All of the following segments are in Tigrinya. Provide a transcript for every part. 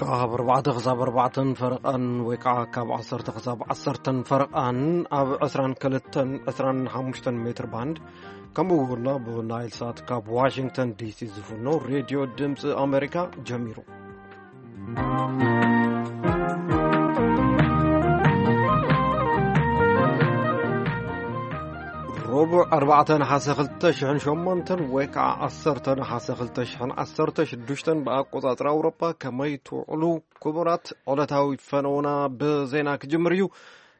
ካብ ኣርባዕተ ክሳብ ኣርባዕተን ፈረቓን ወይ ከዓ ካብ ዓሰርተ ክሳብ ዓሰርተን ፈረቓን ኣብ ዕስራን ክልተን ዕስራን ሓሙሽተን ሜትር ባንድ፣ ከምኡ እውን ኣብ ናይል ሳት ካብ ዋሽንግተን ዲሲ ዝፍኖ ሬድዮ ድምፂ ኣሜሪካ ጀሚሩ። ረቡዕ ኣርባዕተ ነሓሰ ክልተ ሽሕን ሸሞንተን ወይ ከዓ ዓሰርተ ነሓሰ ክልተ ሽሕን ዓሰርተ ሽዱሽተን ብኣቆፃፅራ ኣውሮፓ። ከመይ ትውዕሉ ክቡራት? ዕለታዊ ፈነውና ብዜና ክጅምር እዩ።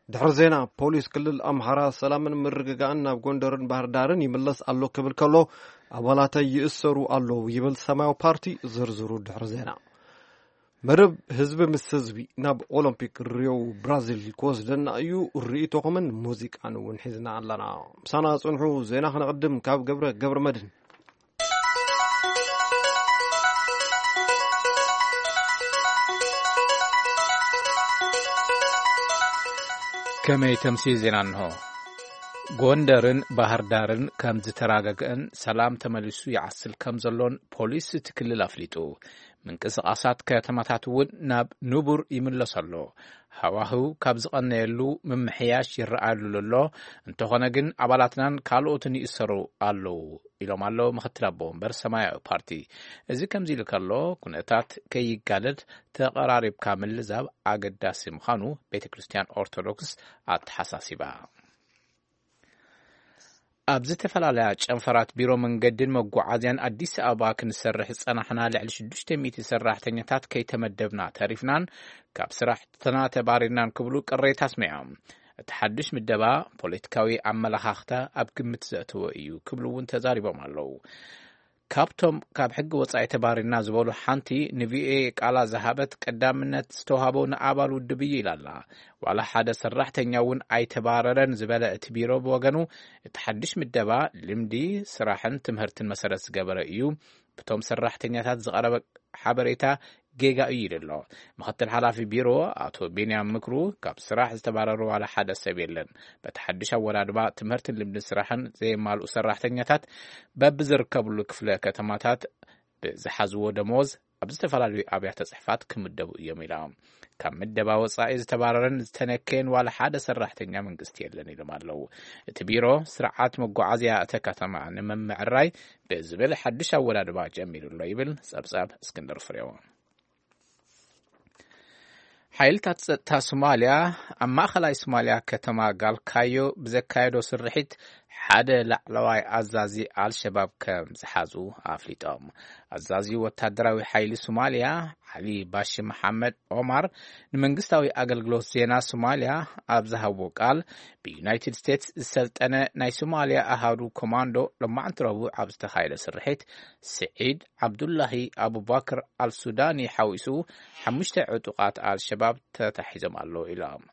ድሕሪ ዜና፣ ፖሊስ ክልል ኣምሓራ ሰላምን ምርግጋእን ናብ ጎንደርን ባህር ዳርን ይምለስ ኣሎ ክብል ከሎ፣ ኣባላተይ ይእሰሩ ኣለዉ ይብል ሰማያዊ ፓርቲ። ዝርዝሩ ድሕሪ ዜና። መደብ ህዝቢ ምስ ህዝቢ ናብ ኦሎምፒክ ሪዮ ብራዚል ክወስደና እዩ። ርእይቶኹምን ሙዚቃን እውን ሒዝና ኣለና። ምሳና ጽንሑ። ዜና ክነቕድም ካብ ገብረ ገብረ መድህን። ከመይ ተምሲ ዜና እንሆ። ጎንደርን ባህር ዳርን ከም ዝተራገገን ሰላም ተመሊሱ ይዓስል ከም ዘሎን ፖሊስ እቲ ክልል ኣፍሊጡ። ምንቅስቓሳት ከተማታት እውን ናብ ንቡር ይምለስ ኣሎ። ሃዋህው ካብ ዝቐነየሉ ምምሕያሽ ይረኣየሉ ኣሎ። እንተኾነ ግን ኣባላትናን ካልኦትን ይእሰሩ ኣለዉ ኢሎም ኣሎ ምክትል ኣቦ ወንበር ሰማያዊ ፓርቲ። እዚ ከምዚ ኢሉ ከሎ፣ ኩነታት ከይጋደድ ተቐራሪብካ ምልዛብ ኣገዳሲ ምዃኑ ቤተ ክርስቲያን ኦርቶዶክስ ኣተሓሳሲባ። ኣብ ዝተፈላለያ ጨንፈራት ቢሮ መንገድን መጓዓዝያን ኣዲስ ኣበባ ክንሰርሕ ዝጸናሕና ልዕሊ ሽዱሽተ ሚእቲ ሰራሕተኛታት ከይተመደብና ተሪፍናን ካብ ስራሕትና ተባሪርናን ክብሉ ቅሬታ ኣስሚዖም። እቲ ሓድሽ ምደባ ፖለቲካዊ ኣመለኻኽታ ኣብ ግምት ዘእተወ እዩ ክብሉ እውን ተዛሪቦም ኣለዉ። ካብቶም ካብ ሕጊ ወጻኢ ተባሪርና ዝበሉ ሓንቲ ንቪኦኤ ቃላ ዝሃበት፣ ቀዳምነት ዝተዋህቦ ንኣባል ውድብ እዩ ኢላ ኣላ። ዋላ ሓደ ሰራሕተኛ እውን ኣይተባረረን ዝበለ እቲ ቢሮ ብወገኑ፣ እቲ ሓድሽ ምደባ ልምዲ ስራሕን ትምህርትን መሰረት ዝገበረ እዩ። ብቶም ሰራሕተኛታት ዝቐረበ ሓበሬታ ጌጋ እዩ ኢሉ ኣሎ። ምክትል ሓላፊ ቢሮ ኣቶ ቢንያም ምክሩ፣ ካብ ስራሕ ዝተባረሩ ዋላ ሓደ ሰብ የለን። በቲ ሓድሽ ኣወዳድባ ትምህርትን ልምድን ስራሕን ዘየማልኡ ሰራሕተኛታት በብዝርከብሉ ክፍለ ከተማታት ብዝሓዝዎ ደሞዝ ኣብ ዝተፈላለዩ ኣብያተ ጽሕፋት ክምደቡ እዮም ኢሎም። ካብ ምደባ ወጻኢ ዝተባረረን ዝተነከየን ዋላ ሓደ ሰራሕተኛ መንግስቲ የለን ኢሎም ኣለዉ። እቲ ቢሮ ስርዓት መጓዓዝያ እተ ከተማ ንምምዕራይ ብዝብል ሓድሽ ኣወዳድባ ጀሚሩ ኣሎ ይብል ጸብጻብ እስክንድር ፍሬው። ሓይልታት ጸጥታ ሶማልያ ኣብ ማእኸላይ ሶማልያ ከተማ ጋልካዮ ብዘካየዶ ስርሒት ሓደ ላዕለዋይ ኣዛዚ ኣልሸባብ ከም ዝሓዙ ኣፍሊጦም። ኣዛዚ ወታደራዊ ሓይሊ ሶማልያ ዓሊ ባሺ መሓመድ ኦማር ንመንግስታዊ ኣገልግሎት ዜና ሶማልያ ኣብ ዝሃብዎ ቃል፣ ብዩናይትድ ስቴትስ ዝሰልጠነ ናይ ሶማልያ ኣሃዱ ኮማንዶ ሎማዕንቲ ረቡዕ ኣብ ዝተኻየደ ስርሒት፣ ስዒድ ዓብዱላሂ ኣቡባክር ኣልሱዳኒ ሓዊሱ ሓሙሽተ ዕጡቓት ኣልሸባብ ተታሒዞም ኣለዉ ኢሎም።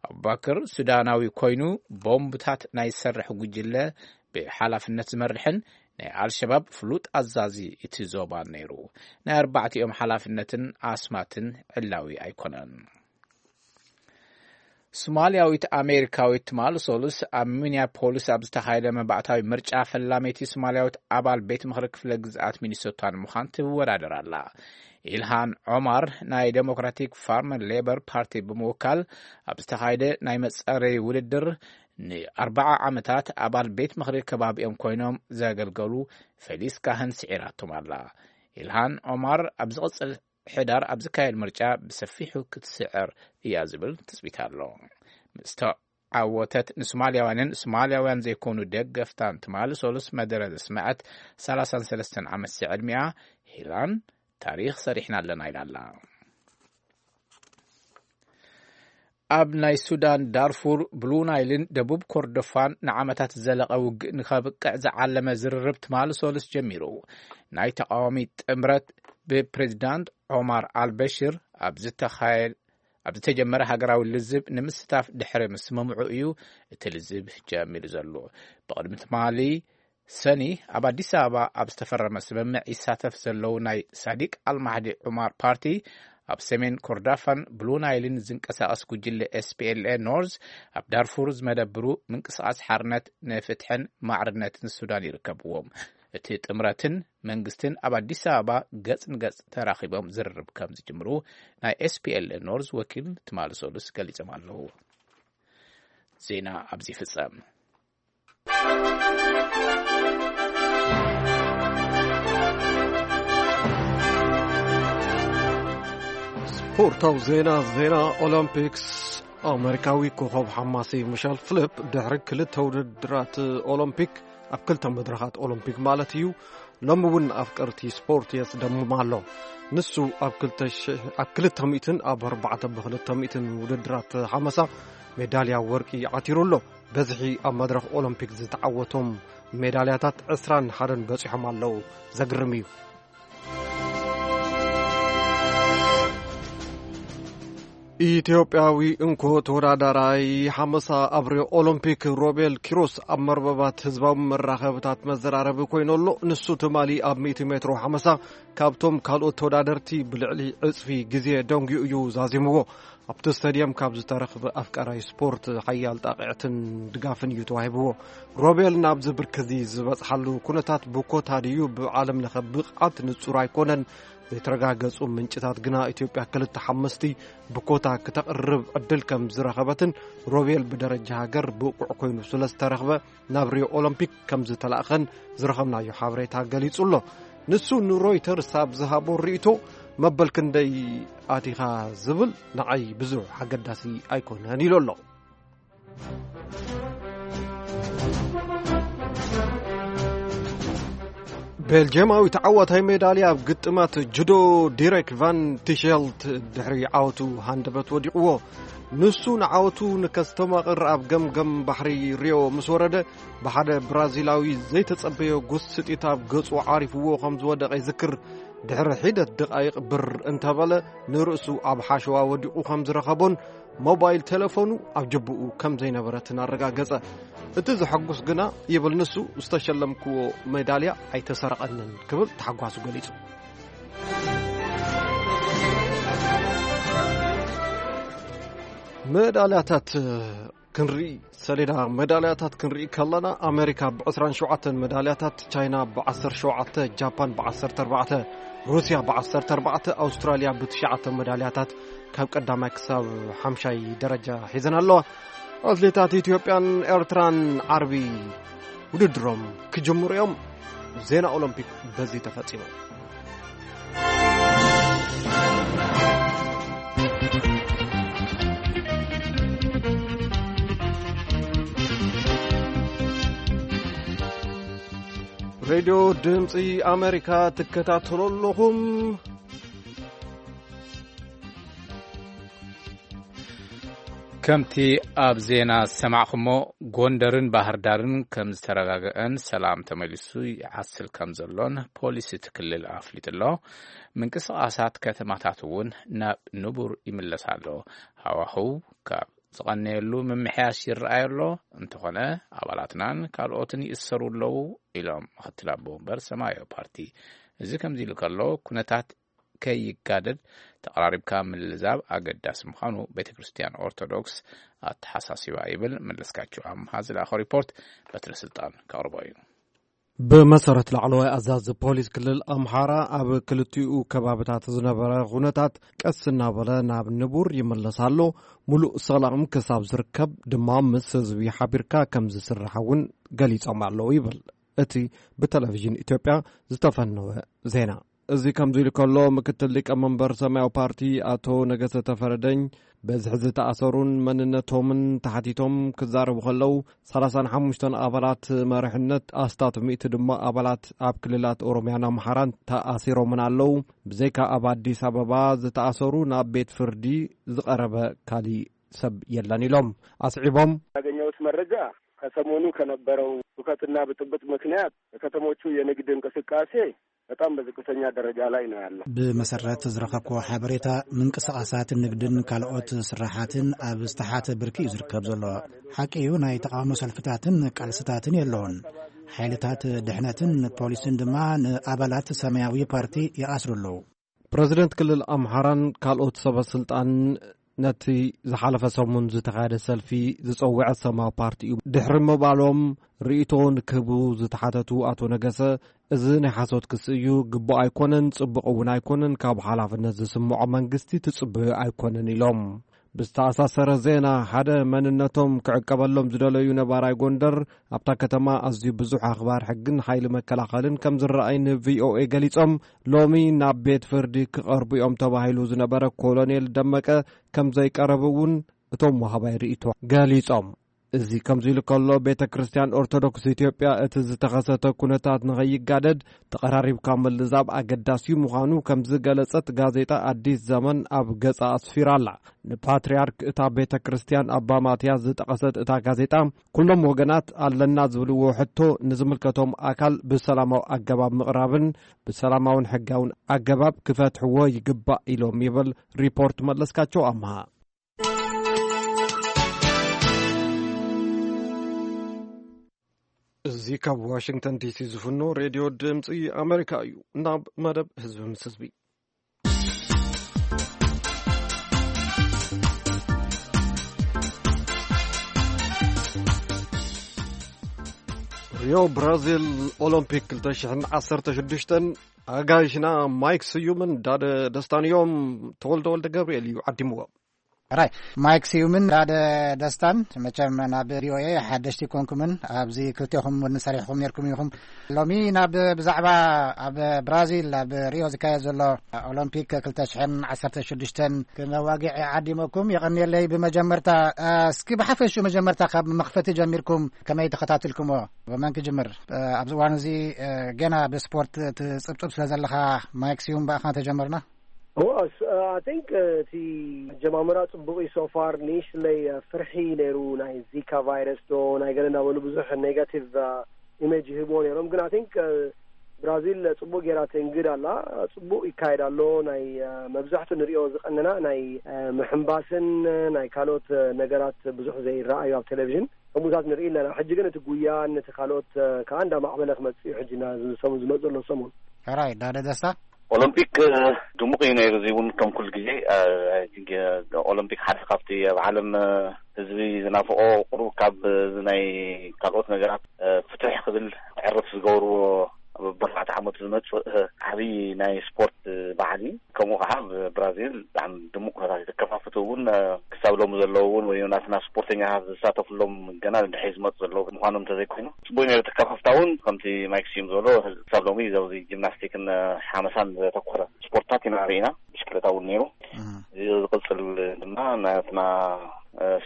ኣቡባክር ሱዳናዊ ኮይኑ፣ ቦምብታት ናይ ዝሰርሕ ጉጅለ ብሓላፍነት ዝመርሕን ናይ ኣልሸባብ ፍሉጥ ኣዛዚ እቲ ዞባን ነይሩ። ናይ ኣርባዕቲኦም ሓላፍነትን ኣስማትን ዕላዊ ኣይኮነን። ሶማልያዊት ኣሜሪካዊት ትማሊ ሰሉስ ኣብ ሚኒያፖሊስ ኣብ ዝተኻየደ መባእታዊ ምርጫ፣ ፈላመይቲ ሶማልያዊት ኣባል ቤት ምኽሪ ክፍለ ግዝኣት ሚኒሶታ ንምዃን ትወዳደር ኣላ። ኢልሃን ዖማር ናይ ዴሞክራቲክ ፋርመር ሌበር ፓርቲ ብምውካል ኣብ ዝተኻየደ ናይ መጸረይ ውድድር፣ ንኣርባዓ ዓመታት ኣባል ቤት ምኽሪ ከባቢኦም ኮይኖም ዘገልገሉ ፌሊስ ካህን ስዒራቶም ኣላ። ኢልሃን ዖማር ኣብ ዝቕጽል ሕዳር ኣብ ዝካየድ ምርጫ ብሰፊሑ ክትስዕር እያ ዝብል ትጽቢት ኣሎ። ምስ ተዓወተት፣ ንሶማልያውያንን ሶማልያውያን ዘይኮኑ ደገፍታን ትማሊ ሰሉስ መደረ ዘስመዐት ሰላሳን ሰለስተን ዓመት ዕድሚኣ፣ ሂላን ታሪኽ ሰሪሕና ኣለና ኢላ ኣላ። ኣብ ናይ ሱዳን ዳርፉር፣ ብሉ ናይልን ደቡብ ኮርዶፋን ንዓመታት ዝዘለቐ ውግእ ንኸብቅዕ ዝዓለመ ዝርርብ ትማሊ ሰሉስ ጀሚሩ። ናይ ተቃዋሚ ጥምረት ብፕሬዚዳንት ዖማር ኣልበሽር ኣብ ዝተኻየ-፣ ኣብ ዝተጀመረ ሃገራዊ ልዝብ ንምስታፍ ድሕሪ ምስምምዑ እዩ እቲ ልዝብ ጀሚሩ ዘሎ። ብቕድሚ ትማሊ ሰኒ ኣብ ኣዲስ ኣበባ ኣብ ዝተፈረመ ስምምዕ ይሳተፍ ዘለዉ ናይ ሳዲቅ ኣልማህዲ ዑማር ፓርቲ፣ ኣብ ሰሜን ኮርዳፋን ብሉ ናይልን ዝንቀሳቐስ ጉጅለ ኤስ ፒ ኤል ኤ ኖርዝ፣ ኣብ ዳርፉር ዝመደብሩ ምንቅስቓስ ሓርነት ንፍትሕን ማዕርነትን ሱዳን ይርከብዎም። እቲ ጥምረትን መንግስትን ኣብ ኣዲስ ኣበባ ገጽ ንገጽ ተራኺቦም ዝርርብ ከም ዝጅምሩ ናይ ኤስፒኤል ኖርዝ ወኪል ትማሊ ሰሉስ ገሊጾም ኣለዉ። ዜና ኣብዚ ይፍጸም። ስፖርታዊ ዜና። ዜና ኦሎምፒክስ። ኣሜሪካዊ ኮኸብ ሓማሲ ሚሸል ፍሊፕ ድሕሪ ክልተ ውድድራት ኦሎምፒክ፣ ኣብ ክልተ መድረኻት ኦሎምፒክ ማለት እዩ፣ ሎሚ እውን ኣፍቀርቲ ስፖርት የስደምም ኣሎ። ንሱ ኣብ ክልተ ሺሕ፣ ኣብ ክልተ ሚእትን ኣብ ኣርባዕተ ብክልተ ሚእትን ውድድራት ሓመሳ ሜዳልያ ወርቂ ዓቲሩ ኣሎ። በዝሒ ኣብ መድረኽ ኦሎምፒክ ዝተዓወቶም ሜዳልያታት ዕስራን ሓደን በጺሖም ኣለዉ። ዘግርም እዩ። ኢትዮጵያዊ እንኮ ተወዳዳራይ ሓመሳ ኣብ ሪዮ ኦሎምፒክ ሮቤል ኪሮስ ኣብ መርበባት ህዝባዊ መራኸብታት መዘራረቢ ኮይኑ ኣሎ። ንሱ ትማሊ ኣብ ሚእቲ ሜትሮ ሓመሳ ካብቶም ካልኦት ተወዳደርቲ ብልዕሊ ዕጽፊ ግዜ ደንጉዩ እዩ ዛዚምዎ። ኣብቲ ስታድየም ካብ ዝተረኽበ ኣፍቃራይ ስፖርት ሓያል ጣቕዕትን ድጋፍን እዩ ተዋሂብዎ። ሮቤል ናብዚ ብርኪ እዚ ዝበጽሓሉ ኩነታት ብኮታ ድዩ ብዓለም ለኸ ብቕዓት ንጹር ኣይኮነን። ዘይተረጋገጹ ምንጭታት ግና ኢትዮጵያ ክልተ ሓሙሽተ ብኮታ ክተቕርብ ዕድል ከም ዝረኸበትን ሮቤል ብደረጃ ሃገር ብቑዕ ኮይኑ ስለ ዝተረኽበ ናብ ሪዮ ኦሎምፒክ ከም ዝተላእኸን ዝረኸብናዮ ሓበሬታ ገሊጹ ኣሎ። ንሱ ንሮይተርስ ኣብ ዝሃቦ ርእይቶ፣ መበል ክንደይ ኣቲኻ ዝብል ንዓይ ብዙሕ ኣገዳሲ ኣይኮነን ኢሉ ኣሎ። ቤልጅየማዊ ተዓዋታይ ሜዳልያ ኣብ ግጥማት ጁዶ ዲሬክ ቫን ቲሸልት ድሕሪ ዓወቱ ሃንደበት ወዲቕዎ። ንሱ ንዓወቱ ንከስተማቕር ኣብ ገምገም ባሕሪ ሪዮ ምስ ወረደ፣ ብሓደ ብራዚላዊ ዘይተጸበዮ ጉስጢት ኣብ ገጹ ዓሪፍዎ ከም ዝወደቐ ይዝክር። ድሕሪ ሒደት ደቓይቕ ብር እንተበለ፣ ንርእሱ ኣብ ሓሸዋ ወዲቑ ከም ዝረኸቦን ሞባይል ቴሌፎኑ ኣብ ጅብኡ ከም ዘይነበረትን ኣረጋገጸ። እቲ ዘሐጉስ ግና፣ ይብል ንሱ፣ ዝተሸለምክዎ ሜዳልያ ኣይተሰረቐንን ክብል ተሓጓሱ ገሊጹ። ሜዳልያታት ክንርኢ፣ ሰሌዳ ሜዳልያታት ክንርኢ ከለና፣ ኣሜሪካ ብዕስራን ሸውዓተን ሜዳልያታት፣ ቻይና ብዓሰርተ ሸውዓተ፣ ጃፓን ብዓሰርተ ኣርባዕተ፣ ሩስያ ብዓሰርተ ኣርባዕተ፣ ኣውስትራልያ ብትሽዓተ ሜዳልያታት ካብ ቀዳማይ ክሳብ ሓምሻይ ደረጃ ሒዘን ኣለዋ። ኣትሌታት ኢትዮጵያን ኤርትራን ዓርቢ ውድድሮም ክጅምሩ እዮም። ዜና ኦሎምፒክ በዚ ተፈጺሙ። ሬድዮ ድምፂ ኣሜሪካ ትከታተሉ ኣለኹም። ከምቲ ኣብ ዜና ዝሰማዕኹሞ፣ ጎንደርን ባህር ዳርን ከም ዝተረጋግአን ሰላም ተመሊሱ ይዓስል ከም ዘሎን ፖሊስ እቲ ክልል ኣፍሊጡ ኣሎ። ምንቅስቓሳት ከተማታት እውን ናብ ንቡር ይምለስ ኣሎ። ሃዋህው ካብ ዝቐነየሉ ምምሕያሽ ይረኣይ ኣሎ። እንተኾነ፣ ኣባላትናን ካልኦትን ይእሰሩ ኣለዉ፣ ኢሎም ምክትል ኣቦ ወንበር ሰማያዊ ፓርቲ። እዚ ከምዚ ኢሉ ከሎ፣ ኩነታት ከይጋደድ ተቐራሪብካ ምልዛብ ኣገዳሲ ምዃኑ ቤተ ክርስቲያን ኦርቶዶክስ ኣተሓሳሲባ ይብል። መለስካቸው ኣምሃ ዝለኣኾ ሪፖርት በትረ ስልጣን ከቕርቦ እዩ። ብመሰረት ላዕለዋይ ኣዛዚ ፖሊስ ክልል ኣምሓራ፣ ኣብ ክልቲኡ ከባብታት ዝነበረ ኩነታት ቀስ እናበለ ናብ ንቡር ይምለስ ኣሎ። ሙሉእ ሰላም ክሳብ ዝርከብ ድማ ምስ ህዝቢ ሓቢርካ ከም ዝስራሕ እውን ገሊጾም ኣለዉ ይብል እቲ ብቴሌቪዥን ኢትዮጵያ ዝተፈነወ ዜና። እዚ ከምዚ ኢሉ ከሎ፣ ምክትል ሊቀመንበር ሰማያዊ ፓርቲ ኣቶ ነገሰ ተፈረደኝ፣ በዝሒ ዝተኣሰሩን መንነቶምን ተሓቲቶም ክዛረቡ ከለዉ፣ ሰላሳን ሓሙሽተን ኣባላት መሪሕነት፣ ኣስታት ሚእቲ ድማ ኣባላት ኣብ ክልላት ኦሮሚያን ኣምሓራን ተኣሲሮምን ኣለዉ። ብዘይካ ኣብ ኣዲስ ኣበባ ዝተኣሰሩ፣ ናብ ቤት ፍርዲ ዝቐረበ ካሊእ ሰብ የለን ኢሎም። ኣስዒቦም፣ ያገኘሁት መረጃ ከሰሞኑ ከነበረው ሁከትና ብጥብጥ ምክንያት የከተሞቹ የንግድ እንቅስቃሴ በጣም በዝቅተኛ ደረጃ ላይ ነው ያለው። ብመሰረት ዝረኸብክዎ ሓበሬታ፣ ምንቅስቓሳት ንግድን ካልኦት ስራሓትን ኣብ ዝተሓተ ብርኪ እዩ ዝርከብ ዘሎ። ሓቂ እዩ፣ ናይ ተቓውሞ ሰልፍታትን ቃልስታትን የለውን። ሓይልታት ድሕነትን ፖሊስን ድማ ንኣባላት ሰማያዊ ፓርቲ ይኣስሩ ኣለዉ። ፕረዚደንት ክልል ኣምሓራን ካልኦት ሰበ ስልጣን ነቲ ዝሓለፈ ሰሙን ዝተኻየደ ሰልፊ ዝጸውዐ ሰማያዊ ፓርቲ እዩ ድሕሪ ምባሎም፣ ርእይቶ ንክህቡ ዝተሓተቱ ኣቶ ነገሰ፣ እዚ ናይ ሓሶት ክሲ እዩ፣ ግቡእ ኣይኮነን፣ ጽቡቕ እውን ኣይኮነን፣ ካብ ሓላፍነት ዝስምዖ መንግስቲ ትጽበዮ ኣይኮነን ኢሎም። ብዝተኣሳሰረ ዜና፣ ሓደ መንነቶም ክዕቀበሎም ዝደለዩ ነባራይ ጎንደር፣ ኣብታ ከተማ ኣዝዩ ብዙሕ ኣኽባር ሕግን ሓይሊ መከላኸልን ከም ዝረኣይ ንቪኦኤ ገሊጾም። ሎሚ ናብ ቤት ፍርዲ ክቐርቡ እዮም ተባሂሉ ዝነበረ ኮሎኔል ደመቀ ከም ዘይቀረቡ እውን እቶም ወሃባይ ርእይቶ ገሊጾም። እዚ ከምዚ ኢሉ ከሎ፣ ቤተ ክርስቲያን ኦርቶዶክስ ኢትዮጵያ እቲ ዝተኸሰተ ኩነታት ንኸይጋደድ ተቐራሪብካ ምልዛብ ኣገዳሲ ምዃኑ ከም ዝገለጸት ጋዜጣ ኣዲስ ዘመን ኣብ ገጻ ኣስፊራ ኣላ። ንፓትርያርክ እታ ቤተ ክርስቲያን ኣባ ማትያስ ዝጠቐሰት እታ ጋዜጣ፣ ኩሎም ወገናት ኣለና ዝብልዎ ሕቶ ንዝምልከቶም ኣካል ብሰላማዊ ኣገባብ ምቕራብን ብሰላማውን ሕጋውን ኣገባብ ክፈትሕዎ ይግባእ ኢሎም ይብል ሪፖርት መለስካቸው ኣምሃ። እዚ ካብ ዋሽንግተን ዲሲ ዝፍኖ ሬድዮ ድምፂ ኣሜሪካ እዩ። ናብ መደብ ህዝቢ ምስ ህዝቢ። ሪዮ ብራዚል ኦሎምፒክ ክልተ ሽሕን ዓሰርተ ሽዱሽተን ኣጋይሽና ማይክ ስዩምን ዳደ ደስታን እዮም። ተወልደ ወልደ ገብርኤል እዩ ዓዲምዎ። ራይ፣ ማይክ ስዩምን ዳደ ደስታን፣ መቸም ናብ ቪኦኤ ሓደሽቲ ኮንኩምን ኣብዚ ክልቴኹም እውን ሰሪሕኹም ነርኩም ኢኹም። ሎሚ ናብ ብዛዕባ ኣብ ብራዚል ኣብ ሪዮ ዝካየድ ዘሎ ኦሎምፒክ ክልተ ሽሕን ዓሰርተ ሽዱሽተን ክነዋግዕ ዓዲመኩም። የቐንየለይ። ብመጀመርታ፣ እስኪ ብሓፈሽኡ መጀመርታ ካብ መኽፈቲ ጀሚርኩም ከመይ ተኸታትልኩሞ? ብመን ክጅምር? ኣብዚ እዋን እዚ ገና ብስፖርት ትጽብጽብ ስለ ዘለኻ ማይክ ስዩም ብኣኻ ተጀመርና። ኦ፣ I think እቲ ኣጀማምራ ጽቡቕ እዩ። So far ንእሽትለይ ፍርሒ ነይሩ፣ ናይ ዚካ ቫይረስ ዶ ናይ ገለ እንዳበሉ ብዙሕ ኔጋቲቭ ኢሜጅ ይህብዎ ነይሮም። ግን I think ብራዚል ጽቡቕ ጌራ ትእንግድ ኣላ። ጽቡቕ ይካየድ ኣሎ። ናይ መብዛሕቱ ንሪኦ ዝቐነና ናይ ምሕንባስን ናይ ካልኦት ነገራት ብዙሕ ዘይረኣዩ ኣብ ቴሌቪዥን ከምኡታት ንርኢ ኣለና። ሕጂ ግን እቲ ጉያን ነቲ ካልኦት ከዓ እንዳማዕበለ ክመጽእ እዩ። ሕጂ ዝመጽእ ዘሎ ሰሙን። ሕራይ ዳደ ደስታ። ኦሎምፒክ ድሙቕ እዩ ነይሩ። እዚ እውን ከም ኩሉ ግዜ ኦሎምፒክ ሓደ ካብቲ ኣብ ዓለም ህዝቢ ዝናፍቆ፣ ቁሩብ ካብ ናይ ካልኦት ነገራት ፍትሕ ክብል ዕርፍ ዝገብርዎ ኣብ ኣርባዕተ ዓመት ዝመጽእ ዓብዪ ናይ ስፖርት በዓል እዩ። ከምኡ ከዓ ኣብ ብራዚል ብጣዕሚ ድሙቕ ኩነታት እዩ። ተከፋፍቲ እውን ክሳብ ሎሚ ዘለዉ እውን ወይ ናትና ስፖርተኛታት ዝሳተፍሎም ገና ድሕሪ ዝመፁ ዘለዉ ምዃኖም እንተዘይኮይኑ ፅቡቅ ነይሩ። ተከፋፍታ እውን ከምቲ ማይክ ስዩም ዝበሎ ክሳብ ሎሚ ኣብዚ ጂምናስቲክን ሓመሳን ዘተኮረ ስፖርትታት ኢና ርኢና። ብሽክለታ እውን ነይሩ። እዚ ዝቕፅል ድማ ናትና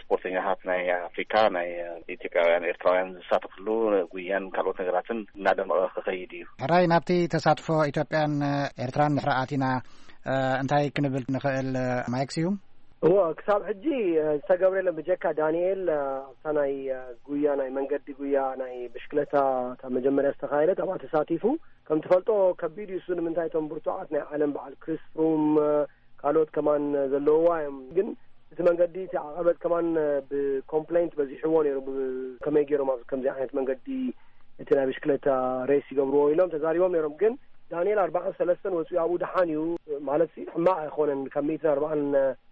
ስፖርተኛታት ናይ ኣፍሪካ ናይ ኢትዮጵያውያን ኤርትራውያን ዝሳተፍሉ ጉያን ካልኦት ነገራትን እናደመቐ ክኸይድ እዩ። ሕራይ ናብቲ ተሳትፎ ኢትዮጵያን ኤርትራን ድሕሪ ኣቲና እንታይ ክንብል ንኽእል ማይክ ስዩም? እዎ ክሳብ ሕጂ ዝተገብረ የለን ብጀካ ዳንኤል ኣብታ ናይ ጉያ ናይ መንገዲ ጉያ ናይ ብሽክለታ ካብ መጀመርያ ዝተኻየደት ኣብኣ ተሳቲፉ ከም ትፈልጦ ከቢድ እዩ እሱ ንምንታይ እቶም ብርቱዓት ናይ ዓለም በዓል ክሪስ ፍሩም ካልኦት ከማን ዘለውዋ እዮም ግን እቲ መንገዲ እቲ ዓቐበት ከማን ብኮምፕሌንት በዚሕዎ ነይሩ ከመይ ገይሮም ኣብዚ ከምዚ ዓይነት መንገዲ እቲ ናይ ብሽክለታ ሬስ ይገብርዎ ኢሎም ተዛሪቦም ነይሮም ግን ዳንኤል ኣርባዓን ሰለስተን ወፂኡ ኣብኡ ደሓን እዩ ማለት ሕማቕ ኣይኮነን ካብ ሚእትን ኣርባዓን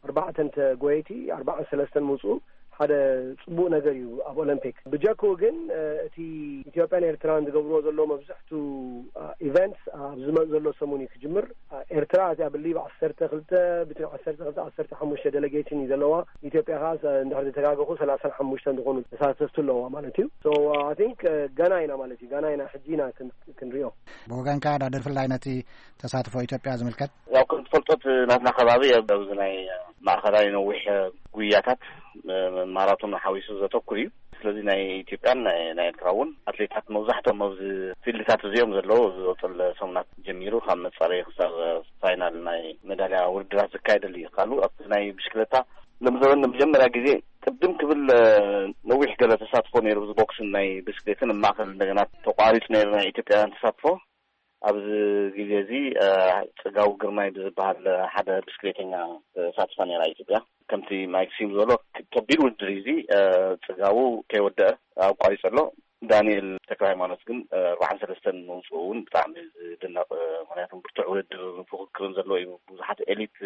ኣርባዕተን ተጎየይቲ ኣርባዓን ሰለስተን ምውፅኡ ሓደ ፅቡቅ ነገር እዩ ኣብ ኦሎምፒክ ብጀክኡ ግን እቲ ኢትዮጵያን ኤርትራን ዝገብርዎ ዘሎ መብዝሕቱ ኢቨንትስ ኣብ ዝመፅ ዘሎ ሰሙን እዩ ክጅምር ኤርትራ እዚኣ ብሊብ ዓሰርተ ክልተ ብትን ዓሰርተ ክልተ ዓሰርተ ሓሙሽተ ደለጌሽን እዩ ዘለዋ ኢትዮጵያ ከዓ እንድሕር ዝተጋገኹ ሰላሳን ሓሙሽተን ዝኾኑ ተሳተፍቲ ኣለዋ ማለት እዩ so I think ገና ኢና ማለት እዩ ገና ኢና ሕጂ ኢና ክንሪኦ ብወገንካ ዳድር ፍላይ ነቲ ተሳትፎ ኢትዮጵያ ዝምልከት ያው ከም ትፈልጦ ናትና ከባቢ ኣብዚ ናይ ማእኸላይ ነዊሕ ጉያታት ማራቶን ሓዊሱ ዘተኩር እዩ ስለዚ ናይ ኢትዮጵያን ናይ ኤርትራ እውን ኣትሌታት መብዛሕትኦም ኣብዚ ፊልድታት እዚኦም ዘለዉ ዝወፅል ሰሙናት ጀሚሩ ካብ መፃረይ ክሳብ ፋይናል ናይ መዳልያ ውድድራት ዝካየደሉ እዩ ካልኡ ኣብቲ ናይ ብሽክለታ ሎም ዘበን ንመጀመርያ ግዜ ቅድም ክብል ነዊሕ ገለ ተሳትፎ ነይሩ ብዚ ቦክስን ናይ ብስክሌትን ማእኸል እንደገና ተቋሪፁ ነይሩ ናይ ኢትዮጵያውያን ተሳትፎ ኣብዚ ግዜ እዚ ፅጋቡ ግርማይ ብዝበሃል ሓደ ብስክሌተኛ ተሳትፋ ነይራ ኢትዮጵያ ከምቲ ማይክሲም ዝበሎ ከቢድ ውድድር እዩ እዚ ፅጋቡ ከይወደአ ኣቋሪፁ ኣሎ ዳንኤል ተክለ ሃይማኖት ግን ኣርባዓን ሰለስተን ምውፅኡ እውን ብጣዕሚ ዝድነቕ ምክንያቱ ብርቱዕ ውድድር ፍክክርን ዘለዎ እዩ ብዙሓት ኤሊት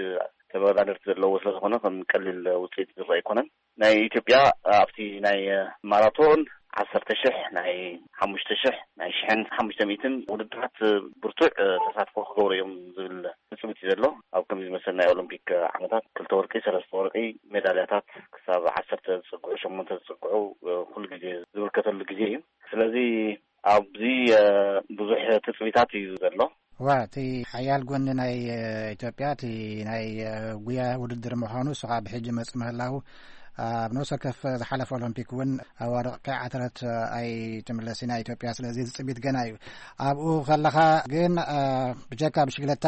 ተወዳደርቲ ዘለዎ ስለዝኾነ ከም ቀሊል ውፅኢት ዝረአ ኣይኮነን። ናይ ኢትዮጵያ ኣብቲ ናይ ማራቶን ዓሰርተ ሽሕ፣ ናይ ሓሙሽተ ሽሕ፣ ናይ ሽሕን ሓሙሽተ ሚእትን ውድድራት ብርቱዕ ተሳትፎ ክገብሩ እዮም ዝብል ትፅቢት እዩ ዘሎ። ኣብ ከምዚ ዝመሰል ናይ ኦሎምፒክ ዓመታት ክልተ ወርቂ፣ ሰለስተ ወርቂ ሜዳልያታት ክሳብ ዓሰርተ ዝፅግዑ፣ ሸሞንተ ዝፅግዑ ኩሉ ግዜ ዝምልከተሉ ግዜ እዩ። ስለዚ ኣብዚ ብዙሕ ትፅቢታት እዩ ዘሎ። ዋ፣ እቲ ሓያል ጎኒ ናይ ኢትዮጵያ፣ እቲ ናይ ጉያ ውድድር ምዃኑ፣ እሱ ከዓ ብሕጂ መጽእ ምህላው፣ ኣብ ነፍሲ ወከፍ ዝሓለፈ ኦሎምፒክ እውን ኣዋርቕ ከይዓተረት ኣይትምለስ ኢና ኢትዮጵያ። ስለዚ ዝጽቢት ገና እዩ። ኣብኡ ከለኻ ግን ብጀካ ብሽግለታ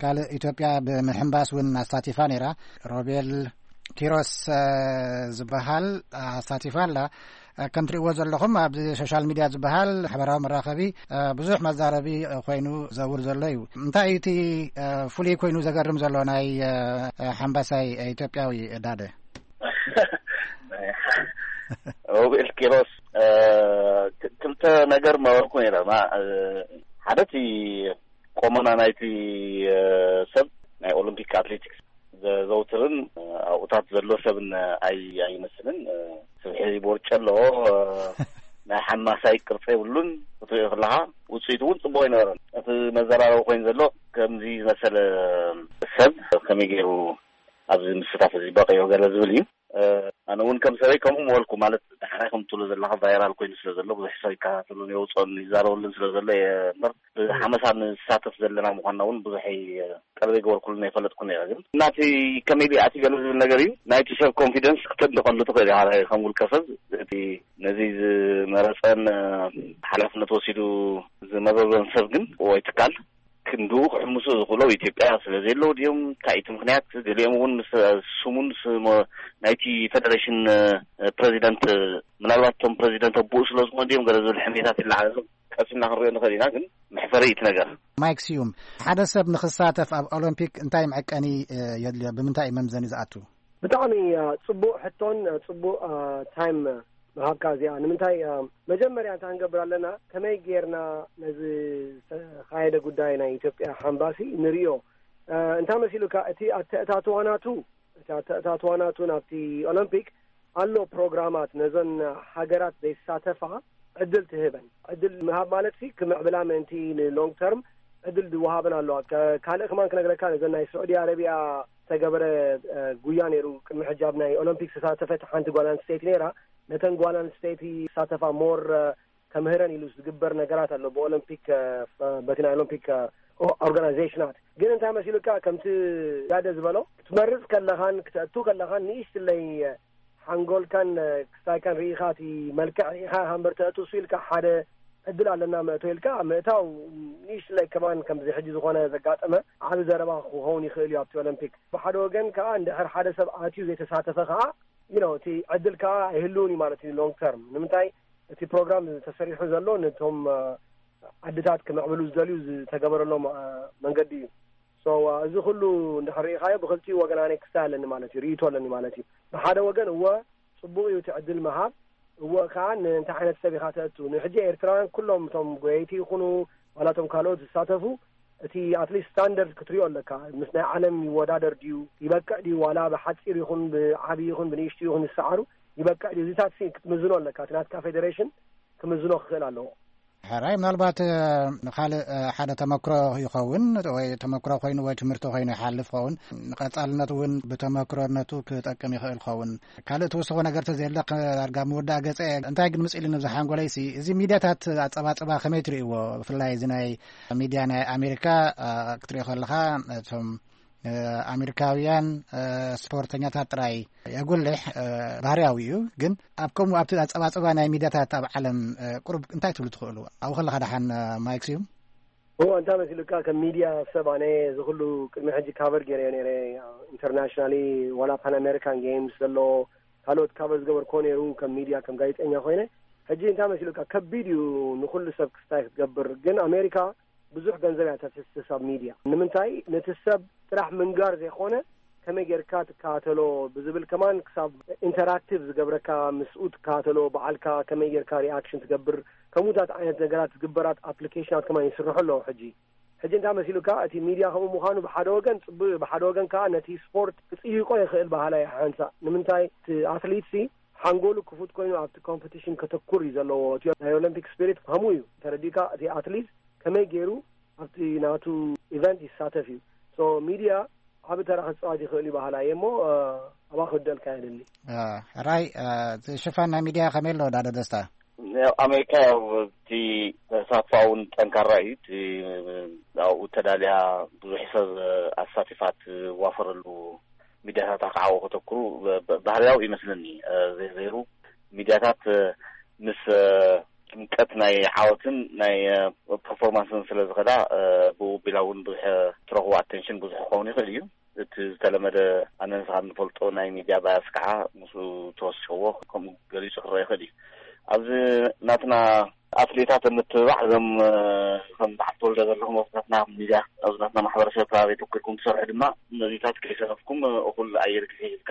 ካልእ ኢትዮጵያ ብምሕንባስ እውን ኣሳቲፋ ነይራ። ሮቤል ኪሮስ ዝበሃል ኣሳቲፋ ኣላ። ከም ትርእዎ ዘለኹም ኣብዚ ሶሻል ሚድያ ዝበሃል ማሕበራዊ መራኸቢ ብዙሕ መዛረቢ ኮይኑ ዘውር ዘሎ እዩ። እንታይ እዩ እቲ ፍሉይ ኮይኑ ዘገርም ዘሎ ናይ ሓምባሳይ ኢትዮጵያዊ ዳደ? ሮቤል ኪሮስ ክልተ ነገር መበርኩ ነይረ። ሓደ እቲ ቆመና ናይቲ ሰብ ናይ ኦሎምፒክ ኣትሌቲክስ ዘዘውትርን ኣብኡታት ዘሎ ሰብን ኣይመስልን። ስብሒ ቦርጭ ኣለዎ። ናይ ሓማሳይ ቅርፂ የብሉን። ክትሪኦ ከለካ ውፅኢቱ እውን ፅቡቅ ኣይነበረን። እቲ መዘራረቢ ኮይኑ ዘሎ ከምዚ ዝመሰለ ሰብ ከመይ ገይሩ ኣብዚ ምስታፍ እዚ በቂዑ ገለ ዝብል እዩ። ኣነ እውን ከም ሰበይ ከምኡ ምበልኩ፣ ማለት ዳሕራይ ከም ትብሎ ዘለካ ቫይራል ኮይኑ ስለ ዘሎ ብዙሕ ሰብ ይከታተሉን የውፅኦን ይዛረበሉን ስለ ዘሎ እየ እምበር ብሓመሳ ንሳተፍ ዘለና ምኳንና እውን ብዙሕ ቀልቢ ገበርኩሉን ኣይፈለጥኩን ነይረ። ግን እናቲ ከመይ ዲኣቲ ገለ ዝብል ነገር እዩ። ናይቲ ሰብ ኮንፊደንስ ክተድንቀሉ ትኽእል ኢኻ ከም ውልቀ ሰብ። እቲ ነዚ ዝመረፀን ሓላፍነት ወሲዱ ዝመዘዞን ሰብ ግን ወይ ትካል ክንድኡ ክሕምሱ ዝኽእሎ ኢትዮጵያ ስለ ዘየለዉ ድዮም? እንታይ እቲ ምክንያት? ገሊኦም እውን ምስ ስሙን ናይቲ ፌደሬሽን ፕሬዚደንት ምናልባት እቶም ፕሬዚደንት ኣቦኡ ስለ ዝኾኑ ድዮም ገለ ዝብል ሕሜታት ይለዓል ኣሎ። ቀሲልና ክንሪኦ ንኽእል ኢና፣ ግን መሕፈሪ እዩ እቲ ነገር። ማይክ ስዩም፣ ሓደ ሰብ ንኽሳተፍ ኣብ ኦሎምፒክ እንታይ መዐቀኒ የድልዮ? ብምንታይ እዩ መምዘኒ ዝኣቱ? ብጣዕሚ ጽቡቕ ሕቶን ጽቡቕ ታይም ምሃብካ እዚኣ። ንምንታይ መጀመርያ እንታይ ክንገብር ኣለና፣ ከመይ ጌርና ነዚ ዝተኻየደ ጉዳይ ናይ ኢትዮጵያ ሓምባሲ ንርእዮ። እንታይ መሲሉካ፣ እቲ ኣተእታትዋናቱ እቲ ኣተእታትዋናቱ ናብቲ ኦሎምፒክ ኣሎ ፕሮግራማት ነዘን ሃገራት ዘይሳተፋ ዕድል ትህበን። ዕድል ምሃብ ማለት ሲ ክምዕብላ ምእንቲ ንሎንግ ተርም ዕድል ዝወሃበን ኣለዋ። ካልእ ከማን ክነግረካ፣ ነዘን ናይ ስዑዲ ኣረቢያ ዝተገበረ ጉያ ነይሩ። ቅድሚ ሕጂ ኣብ ናይ ኦሎምፒክ ዝተሳተፈት ሓንቲ ጓል ኣንስተይቲ ነይራ። ነተን ጓል ኣንስተይቲ ዝሳተፋ ሞር ከምህረን ኢሉ ዝግበር ነገራት ኣሎ ብኦሎምፒክ በቲ ናይ ኦሎምፒክ ኦርጋናይዜሽናት። ግን እንታይ መሲሉካ፣ ከምቲ ያደ ዝበሎ ክትመርፅ ከለኻን ክተእቱ ከለኻን ንእሽትለይ ሓንጎልካን ክስታይካን ርኢኻ እቲ መልክዕ ርኢኻ ሃምበር ተእቱ እሱ ኢልካ ሓደ ዕድል ኣለና መእቶ ኢልካ ምእታው ንእሽትለይ ከማን ከምዚ ሕጂ ዝኾነ ዘጋጠመ ዓቢ ዘረባ ክኸውን ይኽእል እዩ ኣብቲ ኦሎምፒክ። ብሓደ ወገን ከዓ እንድሕር ሓደ ሰብ ኣትዩ ዘይተሳተፈ ከዓ you know እቲ ዕድል ከዓ ኣይህልውን እዩ ማለት እዩ long term። ንምንታይ እቲ ፕሮግራም ተሰሪሑ ዘሎ ነቶም ዓድታት ክምዕብሉ ዝደልዩ ዝተገበረሎም መንገዲ እዩ። So እዚ ኩሉ እንድሕር ርኢኻዮ ብክልቲኡ ወገን ኣነ ክስታይ ኣለኒ ማለት እዩ፣ ርእይቶ ኣለኒ ማለት እዩ። ብሓደ ወገን እወ ጽቡቕ እዩ እቲ ዕድል ምሃብ፣ እወ ከዓ ንእንታይ ዓይነት ሰብ ኢኻ ተእቱ። ንሕጂ ኤርትራውያን ኩሎም እቶም ጎየይቲ ይኹኑ ዋላ እቶም ካልኦት ዝሳተፉ እቲ ኣትሊስት ስታንደርድ ክትሪኦ ኣለካ። ምስ ናይ ዓለም ይወዳደር ድዩ፣ ይበቅዕ ድዩ፣ ዋላ ብሓፂር ይኹን ብዓብዪ ይኹን ብንእሽቱ ይኹን ዝሰዓሩ ይበቅዕ ድዩ፣ እዚታት ክትምዝኖ ኣለካ። እቲ ናትካ ፌዴሬሽን ክምዝኖ ክኽእል ኣለዎ። ሕራይ ምናልባት ንካልእ ሓደ ተመክሮ ይኸውን ወይ ተመክሮ ኮይኑ ወይ ትምህርቲ ኮይኑ ይሓልፍ ኸውን። ንቐፃልነት እውን ብተመክሮነቱ ክጠቅም ይኽእል ኸውን። ካልእ ትውስኾ ነገር ተዘየለ ዳርጋ ምውዳእ ገፀ እንታይ ግን ምፅእ ኢሉ ንብዛ ሓንጎለይሲ እዚ ሚድያታት ኣፀባፅባ ከመይ ትርእይዎ? ብፍላይ እዚ ናይ ሚድያ ናይ ኣሜሪካ ክትሪኦ ከለካ እቶም ኣሜሪካውያን ስፖርተኛታት ጥራይ የጉልሕ ባህርያዊ እዩ። ግን ኣብ ከምኡ ኣብቲ ኣፀባፅባ ናይ ሚድያታት ኣብ ዓለም ቁሩብ እንታይ ትብሉ ትኽእሉ? ኣብኡ ከለካ ደሓን ማይክ ስዩም እዎ እንታይ መሲሉካ ከም ሚድያ ሰብ ኣነ እዚ ኩሉ ቅድሚ ሕጂ ካቨር ገይረዮ ነይረ ኢንተርናሽናሊ ዋላ ፓን ኣሜሪካን ጌምስ ዘሎ ካልኦት ካቨር ዝገበርኮ ነይሩ ከም ሚድያ ከም ጋዜጠኛ ኮይነ ሕጂ እንታይ መሲሉካ ከቢድ እዩ ንኩሉ ሰብ ክስታይ ክትገብር ግን ኣሜሪካ ብዙሕ ገንዘብ እያ ተፍስስ ኣብ ሚድያ ንምንታይ ነቲ ሰብ ጥራሕ ምንጋር ዘይኮነ ከመይ ጌርካ ትከታተሎ ብዝብል ከማን ክሳብ ኢንተራክቲቭ ዝገብረካ ምስኡ ትከታተሎ በዓልካ ከመይ ጌርካ ሪኣክሽን ትገብር ከምኡታት ዓይነት ነገራት ዝግበራት ኣፕሊኬሽናት ከማን ይስርሑ ኣለዉ ሕጂ ሕጂ እንታይ መሲሉካ? እቲ ሚድያ ከምኡ ምዃኑ ብሓደ ወገን ጽቡቅ እዩ፣ ብሓደ ወገን ከዓ ነቲ ስፖርት ክጽይቆ ይኽእል። ባህላ ሓንሳ ንምንታይ እቲ ኣትሊት ሲ ሓንጎሉ ክፉት ኮይኑ ኣብቲ ኮምፒቲሽን ከተኩር እዩ ዘለዎ። እቲ ናይ ኦሎምፒክ ስፒሪት ከምኡ እዩ ተረዲካ። እቲ ኣትሊት ከመይ ገይሩ ኣብቲ ናቱ ኢቨንት ይሳተፍ እዩ። ሶ ሚድያ ዓቢ ተራ ክጻወት ይኽእል እዩ። ባህላ እየ እሞ ኣባ ክብደልካ የደሊ። ራይ ሽፋን ናይ ሚድያ ከመይ ኣሎ ዳደ ደስታ? ያው ኣሜሪካ ያው እቲ ተሳትፎ እውን ጠንካራ እዩ። እቲ ኣብኡ ተዳልያ ብዙሕ ሰብ ኣሳቲፋት ዋፈረሉ ሚድያታት ኣካዓቦ ከተኩሩ ባህርያዊ ይመስለኒ። ዘይሩ ሚድያታት ምስ ጥምቀት ናይ ዓወትን ናይ ፐርፎርማንስን ስለ ዝኸዳ ብኡ ቢላ እውን ብዙሕ ትረኽቦ ኣቴንሽን ብዙሕ ክኸውን ይኽእል እዩ። እቲ ዝተለመደ ኣነ ንስኻ እንፈልጦ ናይ ሚድያ ባያስ ከዓ ምስኡ ተወሲኽዎ ከምኡ ገሊጹ ክረአ ይኽእል እዩ። ኣብዚ ናትና ኣትሌታት ንምትብባዕ እዞም ከም በዓል ተወልደ ዘለኹም ኣብዚ ናትና ሚድያ ኣብዚ ናትና ማሕበረሰብ ከባቢ ተኩርኩም ትሰርሑ ድማ ነዚታት ከይሰነፍኩም እኹል ኣየር ግዜ ሂብካ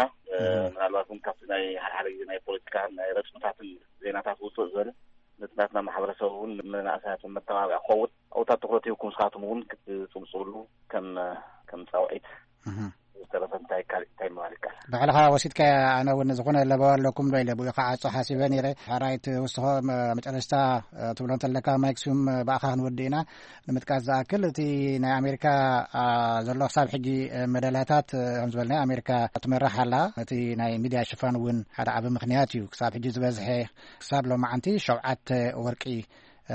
ምናልባት እውን ካብቲ ናይ ሓደ ሓደ ግዜ ናይ ፖለቲካ ናይ ረፅምታትን ዜናታት ውፅእ ዝበለ ነቲ ናትና ማሕበረሰብ እውን ንመናእሰያት መተባብያ ክኸውን ኣብታት ትኩረት ሂብኩም ንስኻትኩም እውን ክትፅብፅብሉ ከም ከም ፃውዒት ዝተረፈ እንታይ ካልእ እንታይ ምባል ይከኣል? ባዕልኻ ወሲድካያ። ኣነ እውን ዝኾነ ለበዋ ኣለኩም ዶ ኢለ ብኡ ክዓጾ ሓሲበ ነይረ። ሓራይ ትውስኾ መጨረሽታ ትብሎ እንተለካ ማይክስዩም ብኣኻ ክንወዲ ኢና። ንምጥቃስ ዝኣክል እቲ ናይ ኣሜሪካ ዘሎ ክሳብ ሕጂ መዳልያታት ከም ዝበልናዮ ኣሜሪካ ትመርሕ ኣላ። እቲ ናይ ሚድያ ሽፋን እውን ሓደ ዓቢ ምኽንያት እዩ። ክሳብ ሕጂ ዝበዝሐ ክሳብ ሎማዓንቲ ሸውዓተ ወርቂ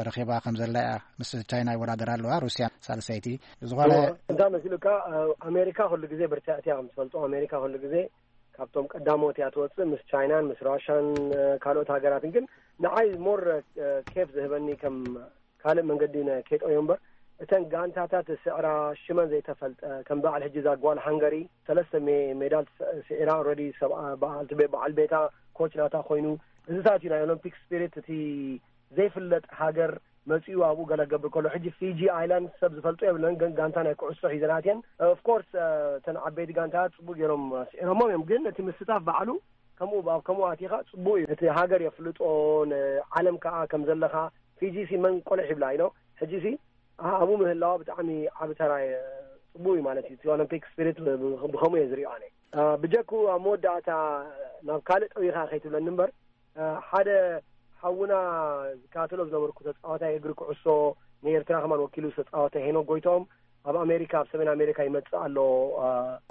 ረኺባ ከም ዘላ እያ። ምስ ቻይና ይወዳደር ኣለዋ። ሩስያ ሳልሰይቲ። ዝኾነ እንታይ መሲሉካ? ኣሜሪካ ኩሉ ግዜ ብርትዕቲ እያ ከም ትፈልጦ። ኣሜሪካ ኩሉ ግዜ ካብቶም ቀዳሞት እያ ትወፅእ ምስ ቻይናን ምስ ራሻን ካልኦት ሃገራትን። ግን ንዓይ ሞር ኬፍ ዝህበኒ ከም ካልእ መንገዲ ኬጠዮ እምበር እተን ጋንታታት ስዕራ ሽመን ዘይተፈልጠ ከም በዓል ሕጂ እዛ ጓል ሃንገሪ ሰለስተ ሜዳል ስዒራ ኦልሬዲ በዓል ቤታ ኮች ናታ ኮይኑ እዚታት እዩ ናይ ኦሎምፒክ ስፒሪት እቲ ዘይፍለጥ ሃገር መጺኡ ኣብኡ ገለ ክገብር ከሎ ሕጂ ፊጂ ኣይላንድ ሰብ ዝፈልጦ የብለን። ግን ጋንታ ናይ ኩዕሶ ሒዘናት እየን። ኦፍኮርስ እተን ዓበይቲ ጋንታታት ጽቡቅ ገይሮም ስዒሮሞም እዮም። ግን እቲ ምስታፍ ባዕሉ ከምኡ ኣብ ከምኡ ኣቲኻ ጽቡቅ እዩ። እቲ ሃገር የፍልጦ ንዓለም ከዓ ከም ዘለኻ ፊጂ ሲ መን ቆልሕ ይብላ ኢኖ ሕጂ ሲ ኣብኡ ምህላዋ ብጣዕሚ ዓቢ ተራ ጽቡቅ እዩ ማለት እዩ። እቲ ኦሎምፒክ ስፒሪት ብከምኡ እየ ዝሪኦ ኣነ። ብጀኩ ኣብ መወዳእታ ናብ ካልእ ጠዊኻ ከይትብለኒ እምበር ሓደ ሓውና ዝከታተሎ ዝነበርኩ ተፃዋታይ እግሪ ኩዕሶ ንኤርትራ ከማን ወኪሉ ዝተፃወተ ሄኖክ ጎይቶም ኣብ ኣሜሪካ ኣብ ሰሜን ኣሜሪካ ይመፅእ ኣሎ።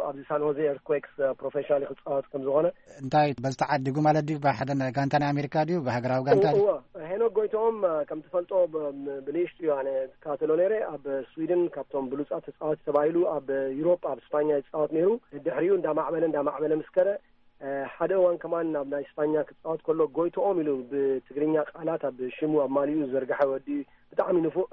ኣብዚ ሳን ሆዜ ኤርትኩዌክስ ፕሮፌሽናል ክፃወት ከም ዝኾነ እንታይ በዚ ተዓዲጉ ማለት ድዩ? ብሓደ ጋንታ ናይ ኣሜሪካ ድዩ ብሃገራዊ ጋንታ ድዩ? እወ ሄኖክ ጎይቶም ከም ትፈልጦ ብንእሽቱ እዩ ኣነ ዝከታተሎ ነይረ ኣብ ስዊድን ካብቶም ብሉፃት ተፃወቲ ተባሂሉ ኣብ ዩሮፕ ኣብ ስፓኛ ይፃወት ነይሩ። ድሕሪኡ እንዳማዕበለ እንዳማዕበለ ምስ ከደ ሓደ እዋን ከማን ናብ ናይ ስፓኛ ክፃወት ከሎ ጎይትኦም ኢሉ ብትግርኛ ቃላት ኣብ ሽሙ ኣብ ማሊኡ ዝዘርግሐ ወዲ ብጣዕሚ ንፉዕ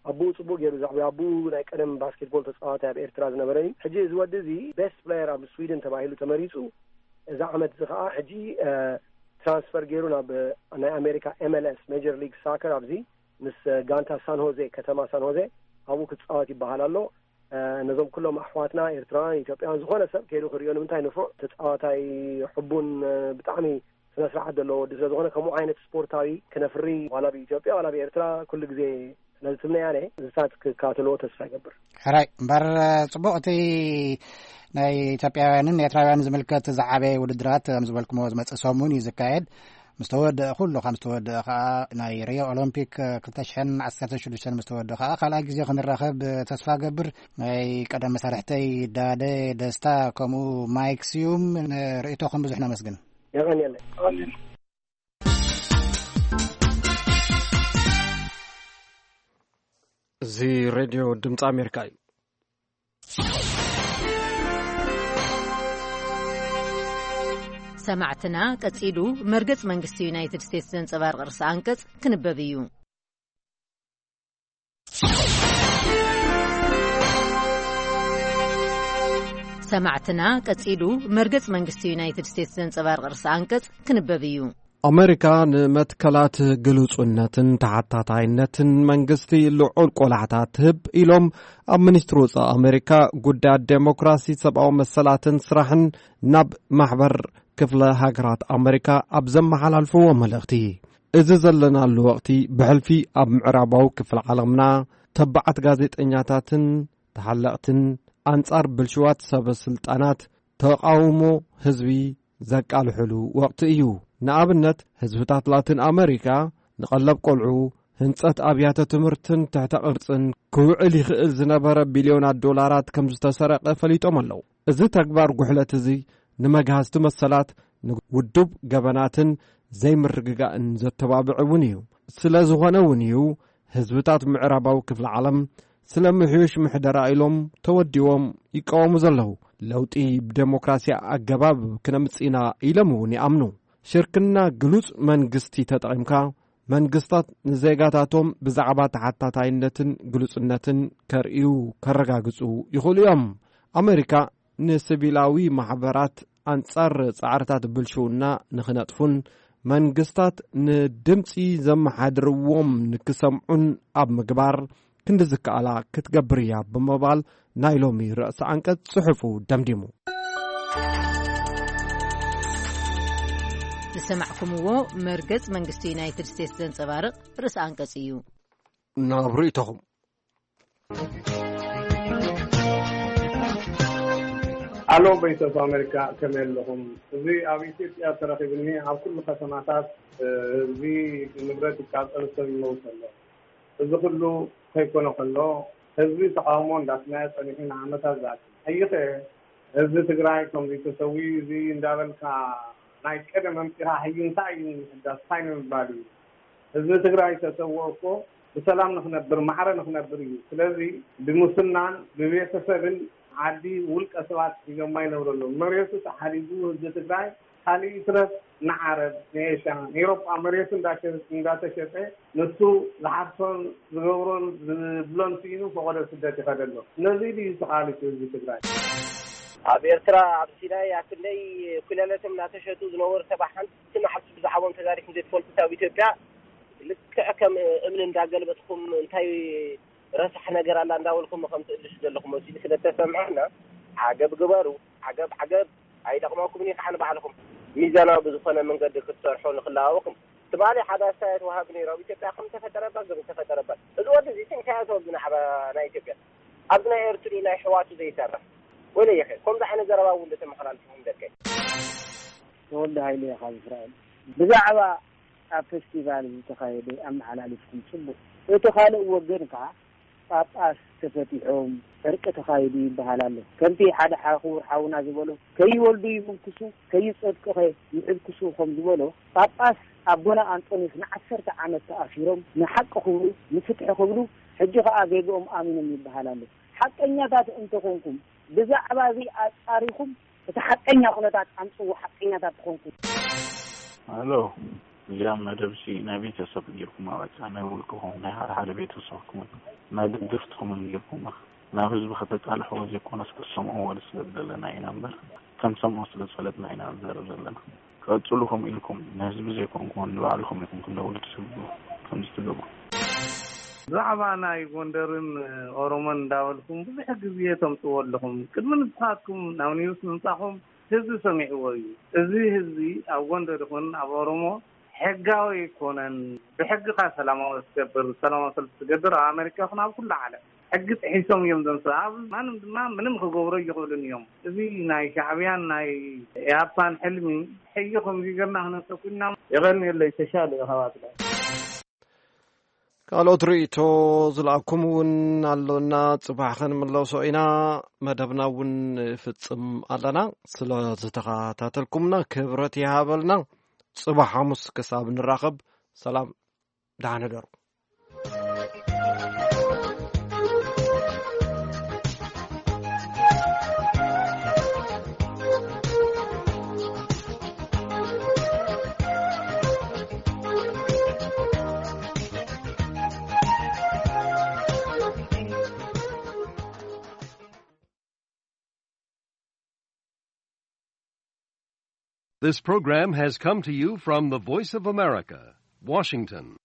ኣቦኡ ፅቡቅ ገይሩ ዘዕብዮ ኣቦኡ ናይ ቀደም ባስኬትቦል ተፃዋታይ ኣብ ኤርትራ ዝነበረ እዩ። ሕጂ እዚ ወዲ እዚ ቤስት ፕሌየር ኣብ ስዊድን ተባሂሉ ተመሪፁ። እዚ ዓመት እዚ ከዓ ሕጂ ትራንስፈር ገይሩ ናብ ናይ ኣሜሪካ ኤምኤልኤስ ሜጀር ሊግ ሳከር ኣብዚ ምስ ጋንታ ሳን ሆዜ ከተማ ሳን ሆዜ ኣብኡ ክፃወት ይበሃል ኣሎ። ነዞም ኩሎም ኣሕዋትና ኤርትራውያን ኢትዮጵያውያን ዝኾነ ሰብ ከይዱ ክሪኦ ንምንታይ ንፉዕ ተፃዋታይ ሕቡን ብጣዕሚ ስነ ስርዓት ዘለዎ ወዲ ስለዝኾነ ከምኡ ዓይነት ስፖርታዊ ክነፍሪ ዋላ ብኢትዮጵያ ዋላ ብኤርትራ ኩሉ ግዜ ስለዝትምነያ ነ ዝታት ክካተልዎ ተስፋ ይገብር። ሕራይ እምበር ፅቡቅ እቲ ናይ ኢትዮጵያውያንን ኤርትራውያን ዝምልከት ዝዓበየ ውድድራት ከም ዝበልኩሞ ዝመፅእ ሰሙን እዩ ዝካየድ። ምስ ተወደአ ኩሉ ከም ዝተወደአ ከዓ ናይ ሪዮ ኦሎምፒክ ክልተ ሽሕን ዓሰርተ ሽዱሽተን ምስ ተወደአ ከዓ ካልኣይ ግዜ ክንራኸብ ተስፋ ገብር። ናይ ቀደም መሳርሕተይ ዳደ ደስታ ከምኡ ማይክ ስዩም ንርእይቶኹም ብዙሕ ነመስግን። የቐንየለይ። እዚ ሬድዮ ድምፂ ኣሜሪካ እዩ። ሰማዕትና ቀጺሉ መርገጽ መንግስቲ ዩናይትድ ስቴትስ ዘንጸባርቕ ርእሰ ኣንቀጽ ክንበብ እዩ። ሰማዕትና ቀጺሉ መርገጽ መንግስቲ ዩናይትድ ስቴትስ ዘንጸባርቕ ርእሰ ኣንቀጽ ክንበብ እዩ። ኣመሪካ ንመትከላት ግሉጹነትን ተሓታታይነትን መንግስቲ ልዑል ቆላሕታ ትህብ ኢሎም ኣብ ሚኒስትሪ ወጻኢ ኣመሪካ ጉዳያት ዴሞክራሲ፣ ሰብኣዊ መሰላትን ስራሕን ናብ ማሕበር ክፍለ ሃገራት ኣመሪካ ኣብ ዘመሓላልፍዎ መልእኽቲ፣ እዚ ዘለናሉ ወቕቲ ብሕልፊ ኣብ ምዕራባዊ ክፍሊ ዓለምና ተባዓት ጋዜጠኛታትን ተሓለቕትን ኣንጻር ብልሽዋት ሰበ ስልጣናት ተቓውሞ ህዝቢ ዘቃልሕሉ ወቕቲ እዩ። ንኣብነት፣ ህዝብታት ላቲን ኣመሪካ ንቐለብ ቆልዑ፣ ህንጸት ኣብያተ ትምህርትን ትሕተ ቅርጽን ክውዕል ይኽእል ዝነበረ ቢልዮናት ዶላራት ከም ዝተሰረቐ ፈሊጦም ኣለዉ። እዚ ተግባር ጉሕለት እዚ ንመግሃዝቲ መሰላት፣ ንውዱብ ገበናትን ዘይምርግጋእን ዘተባብዕ እውን እዩ። ስለ ዝኾነ እውን እዩ ህዝብታት ምዕራባዊ ክፍለ ዓለም ስለ ምሕዩሽ ምሕደራ ኢሎም ተወዲቦም ይቃወሙ ዘለዉ። ለውጢ ብደሞክራሲ ኣገባብ ክነምጽእ ኢና ኢሎም እውን ይኣምኑ። ሽርክና ግሉጽ መንግስቲ ተጠቒምካ መንግስታት ንዜጋታቶም ብዛዕባ ተሓታታይነትን ግሉጽነትን ከርእዩ፣ ከረጋግጹ ይኽእሉ እዮም። ኣመሪካ ንሲቪላዊ ማሕበራት ኣንጻር ጻዕርታት ብልሽውና ንኽነጥፉን መንግስታት ንድምጺ ዘመሓድርዎም ንክሰምዑን ኣብ ምግባር ክንዲ ዝከኣላ ክትገብር እያ ብምባል ናይ ሎሚ ርእሲ ኣንቀጽ ጽሑፉ ደምዲሙ። ዝሰማዕኩምዎ መርገጽ መንግስቲ ዩናይትድ ስቴትስ ዘንጸባርቕ ርእሲ ኣንቀጽ እዩ። ናብ ርእይቶኹም። ኣሎ፣ ቮይስ ኦፍ ኣሜሪካ፣ ከመይ ኣለኹም? እዚ ኣብ ኢትዮጵያ ተረኺብኒ፣ ኣብ ኩሉ ከተማታት፣ እ፣ ህዝቢ ንብረት ይቃጸል፣ ሰብ ይመውት ኣሎ። እዚ ኩሉ ከይኮነ ከሎ፣ ህዝቢ ተቃውሞ እንዳስመዐ ጸኒሑ ንዓመታት ዝኣክል። ሕጂ ኸ ህዝቢ ትግራይ ከምዚ ተሰዊኡ እዚ እንዳበልካ ናይ ቀደም ኣምጺኻ ሕጂ እንታይ እዩ ንምሕዳስ? እንታይ ንምባል እዩ? ህዝቢ ትግራይ ተሰውኦ እኮ ብሰላም ንኽነብር፣ ማዕረ ንኽነብር እዩ። ስለዚ ብሙስናን ብቤተሰብን ዓዲ ውልቀ ሰባት ሒዞማ ይነብሩ ኣለዉ። መሬቱ ተሓሪጉ ህዝቢ ትግራይ ካልእ ይትረፍ ንዓረብ፣ ንኤሽያ፣ ንኤውሮጳ መሬቱ እንዳሸ-፣ እንዳተሸጠ ንሱ ዝሓርሶን ዝገብሮን ዝብሎን ስኢኑ ፈቐዶ ስደት ይኸደ ኣሎ። ነዚ ድዩ ተቓሊሱ ህዝቢ ትግራይ? ኣብ ኤርትራ ኣብ ሲናይ ኣብ ክንደይ ኩለለቶም እናተሸጡ ዝነበሩ ሰባት ሓንቲ መዓልቲ ብዛዕባኦም ተዛሪብኩም ዘይትፈልጡ፣ ኣብ ኢትዮጵያ ልክዕ ከም እምኒ እንዳገልበጥኩም እንታይ ረሳሕ ነገር ኣላ እንዳበልኩም ከም ትእልሹ ዘለኹም መሲሉ ስለ ተሰምዐና፣ ዓገብ ግበሩ። ዓገብ ዓገብ ኣይጠቕመኩምን እዩ ከዓ ንባዕልኹም። ሚዛናዊ ብዝኾነ መንገዲ ክትሰርሑ ንኽለዋወኩም ትማሊ ሓደ ኣስተያየት ወሃቢ ነይሩ። ኣብ ኢትዮጵያ ከም ተፈጠረ እባ፣ ከም ተፈጠረ እባ። እዚ ወዲ እዚ እንታይ እያ ትወግና ዓባ ናይ ኢትዮጵያ? ኣብዚ ናይ ኤርትሪ ናይ ሕዋቱ ዘይሰርሕ። ወይለየኸ፣ ከምዚ ዓይነት ዘረባ እውን ተመሓላልፍኩም ደቀይ። ተወልደ ሃይለ እየ ካብ እስራኤል። ብዛዕባ ኣብ ፌስቲቫል ዝተኻየደ ኣመሓላሊፍኩም ጽቡቕ። እቲ ካልእ ወገን ከኣ ጳጳስ ተፈቲሖም ዕርቂ ተኻይዱ ይበሃል ኣሎ። ከምቲ ሓደ ሓ-፣ ክቡር ሓውና ዝበሎ፣ "ከይወልዱ ይምንክሱ፣ ከይጸድቁኸ ይሕልክሱ" ከም ዝበሎ፣ ጳጳስ ኣቦና ኣንጦንዮስ ንዓሰርተ ዓመት ተኣሲሮም ንሓቂ ክብሉ፣ ንፍትሒ ክብሉ፣ ሕጂ ከኣ ጌግኦም ኣሚኖም ይበሃል ኣሎ። ሓቀኛታት እንተኾንኩም፣ ብዛዕባ እዚ ኣጻሪኹም እቲ ሓቀኛ ኩነታት ኣምጽዎ፣ ሓቀኛታት ትኾንኩም። ኣሎ፣ እዚኣ መደብሲ ናይ ቤተሰብ ጌርኩማ፣ በቃ ናይ ውልቅኹም፣ ናይ ሓደ ሓደ ቤተሰብኩምን ናይ ደገፍትኹምን ጌርኩማ። ናብ ህዝቢ ከተቃልሕዎ ዘይኮነስ ክትሰምዕዎ ስለ ዝደለና ኢና እምበር፣ ከንሰምዖ ስለ ዝፈለጥና ኢና ንዛረብ ዘለና። ቀጽሉ፣ ከምኡ ኢልኩም ንህዝቢ ዘይኮንኩሞ ንባዕልኹም ኢኹም ክንደውሉ ትስብሉ ከምዚ ትገብሩ። ብዛዕባ ናይ ጎንደርን ኦሮሞን እንዳበልኩም ብዙሕ ግዜ ተምጽዎ ኣለኹም። ቅድሚ ንስኻትኩም ናብ ኒውስ ምምጻኹም ህዝቢ ሰሚዕዎ እዩ። እዚ ህዝቢ ኣብ ጎንደር ይኹን ኣብ ኦሮሞ ሕጋዊ ኣይኮነን። ብሕግኻ ሰላማዊ ትገብር፣ ሰላማዊ ሰልፊ ትገብር፣ ኣብ ኣሜሪካ ይኹን ኣብ ኩሉ ዓለም ሕጊ ጥሒሶም እዮም ዘምስ-፣ ኣብ ማንም ድማ ምንም ክገብሩ ይኽእሉን እዮም። እዚ ናይ ሻዕብያን ናይ ኢህኣፓን ሕልሚ ሕጂ ከምዚ ጌርና ክነሰኩና። የቐንየለይ፣ ተሻለ እዩ፣ ኣሕዋትና። ካልኦት ርእይቶ ዝለኣኩም እውን ኣሎና፣ ጽባሕ ክንምለሶ ኢና። መደብና እውን ንፍጽም ኣለና። ስለ ዝተኸታተልኩምና ክብረት ይሃበልና። ጽባሕ ሓሙስ ክሳብ ንራኸብ፣ ሰላም፣ ደሓን ሕደሩ። This program has come to you from the Voice of America, Washington.